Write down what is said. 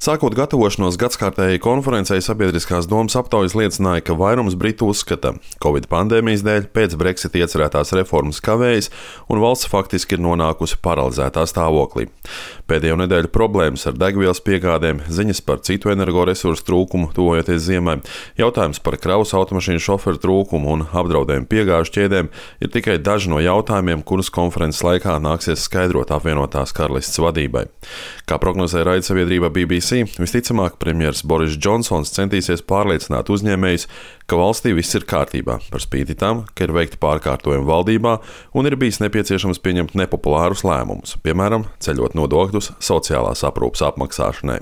Sākot gatavošanos gadskārtējai konferencei, sabiedriskās domas aptaujas liecināja, ka vairums britu uzskata, ka Covid pandēmijas dēļ pēc Brexit iecerētās reformas kavējas un valsts faktiski ir nonākusi paralizētā stāvoklī. Pēdējo nedēļu problēmas ar degvielas piegādēm, ziņas par citu energoresursu trūkumu tuvojoties ziemai, jautājums par kravas automašīnu šoferu trūkumu un apdraudējumu piegāžu ķēdēm ir tikai daži no jautājumiem, kurus konferences laikā nāksies skaidrot apvienotās karalistes vadībai. Kā prognozē raidsabiedrība BBC, visticamāk, premjers Boris Džonsons centīsies pārliecināt uzņēmējus, ka valstī viss ir kārtībā, par spīti tam, ka ir veikti pārkārtojumi valdībā un ir bijis nepieciešams pieņemt nepopulārus lēmumus, piemēram, ceļot nodokļus sociālās aprūpes apmaksāšanai.